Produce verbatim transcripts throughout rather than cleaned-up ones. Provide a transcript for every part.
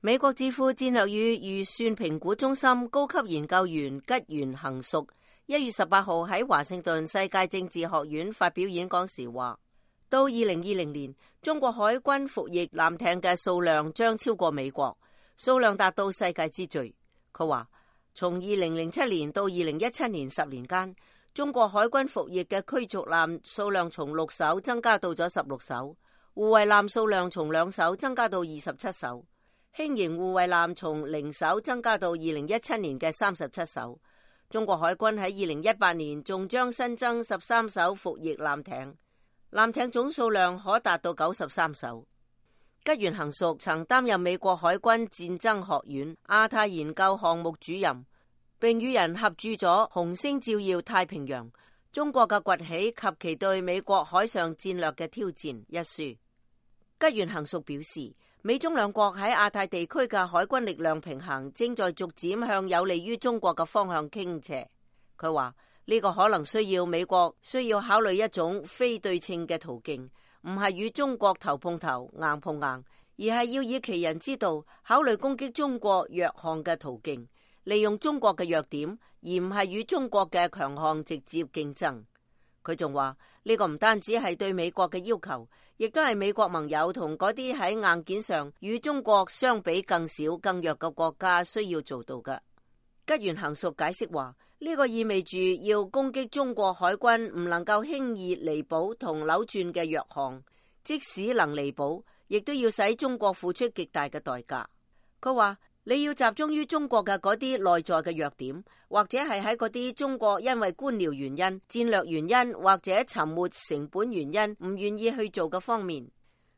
美國智庫戰略與預算評估中心高級研究員吉原行淑一月十八號喺華盛頓世界政治學院發表演講時話，到二零二零年，中國海軍服役艦艇嘅數量將超過美國，數量達到世界之最。佢話，從二零零七年到二零一七年十年間，中國海軍服役嘅驅逐艦數量從六艘增加到咗十六艘，護衛艦數量從兩艘增加到二十七艘。輕型護衛艦從零艘增加到二零一七年嘅三十七艘。中國海軍喺二零一八年仲將新增十三艘服役艦艇，艦艇總數量可達到九十三艘。吉原行淑曾擔任美國海軍戰爭學院亞太研究項目主任，並與人合著咗《紅星照耀太平洋：中國嘅崛起及其對美國海上戰略嘅挑戰》一書。吉原行淑表示，美中兩國喺亞太地區嘅海軍力量平衡正在逐漸向有利於中國嘅方向傾斜。佢話呢個可能需要美國需要考慮一種非對稱嘅途徑，唔係與中國頭碰頭硬碰硬，而係要以其人之道考慮攻擊中國弱項嘅途徑，利用中國嘅弱點，而唔係與中國嘅強項直接競爭。佢仲話呢個唔單止係對美國嘅要求，亦都係美國盟友同嗰啲喺硬件上與中國相比更少更弱嘅國家需要做到嘅。吉原行淑解釋話，呢個意味住要攻擊中國海軍唔能夠輕易彌補同扭轉嘅弱項，即使能彌補，亦都要使中國付出極大嘅代價。佢話你要集中於中國嘅嗰啲內在嘅弱點，或者係喺嗰啲中國因為官僚原因、戰略原因或者沉沒成本原因唔願意去做嘅方面。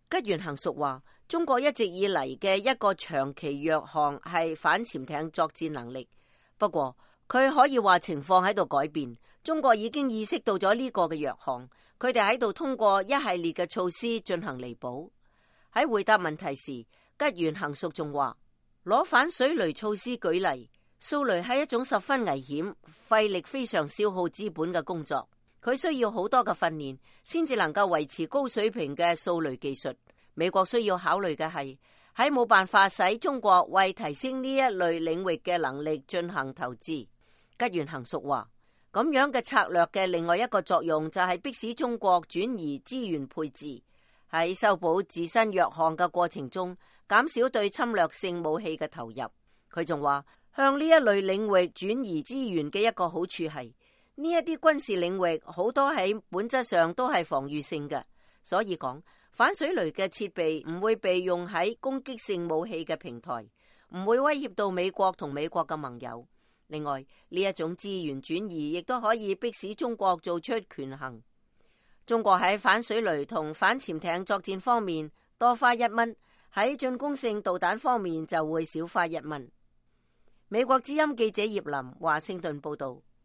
吉原行淑話，中國一直以嚟嘅一個長期弱項係反潛艇作戰能力，不過佢可以話情況喺度改變，中國已經意識到咗呢個嘅弱項，佢哋喺度通過一系列嘅措施進行彌補。喺回答問題時，吉原行淑仲話，攞反水雷措施舉例，掃雷係一種十分危險、費力非常消耗資本嘅工作，佢需要好多嘅訓練先至能夠維持高水平嘅掃雷技術。美國需要考慮嘅係喺冇辦法使中國為提升呢一類領域嘅能力進行投資。吉原行淑話，咁樣嘅策略嘅另外一個作用就係迫使中國轉移資源配置，喺修補自身弱項嘅過程中減少對侵略性武器嘅投入。佢仲話，向呢一類領域轉移資源嘅一個好處係，呢一啲軍事領域好多喺本質上都係防禦性嘅，所以講反水雷嘅設備唔會被用喺攻擊性武器嘅平台，唔會威脅到美國同美國嘅盟友。另外，呢一種資源轉移亦都可以迫使中國做出權衡。中國喺反水雷同反潛艇作戰方面多花一蚊，喺進攻性導彈方面就會少花一蚊。美國之音記者葉林華盛頓報道。